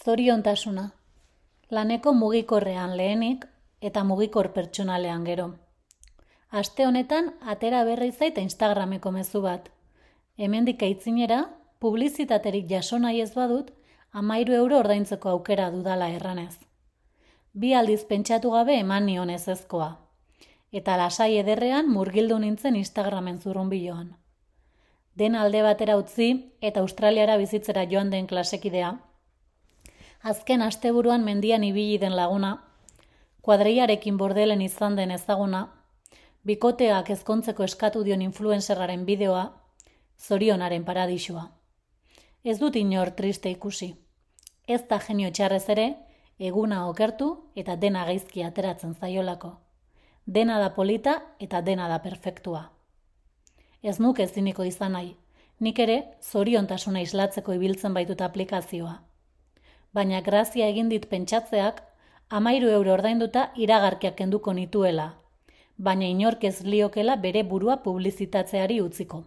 Zoriontasuna. Laneko mugikorrean lehenik eta mugikor pertsonalean gero. Aste honetan atera berri zait Instagrameko mezu bat. Hemendik aitzinera, publizitaterik jaso nahi ez badut, 13 € ordaintzeko aukera dudala erranez. 2 aldiz pentsatu gabe eman nion ezezkoa. Eta lasai ederrean murgildu nintzen Instagramen zurrunbiloan. Den alde batera utzi eta Australiara bizitzera joan den klasekidea, azken asteburuan mendian ibili den laguna, kuadrillarekin bordelen izan den ezaguna, bikoteak ezkontzeko eskatu dion influencerraren bideoa, zorionaren paradisua. Ez dut inor triste ikusi. Ez da genio txarrez ere, eguna okertu eta dena gaizki ateratzen zaiolako. Dena da polita eta dena da perfektua. Ez nuke eziniko izan nahi, nik ere zoriontasuna islatzeko ibiltzen baitut aplikazioa. Baina grazia egin dit pentsatzeak 13 € ordainduta iragarkiak kenduko nituela, baina inork ez liokela bere burua publizitatzeari utziko.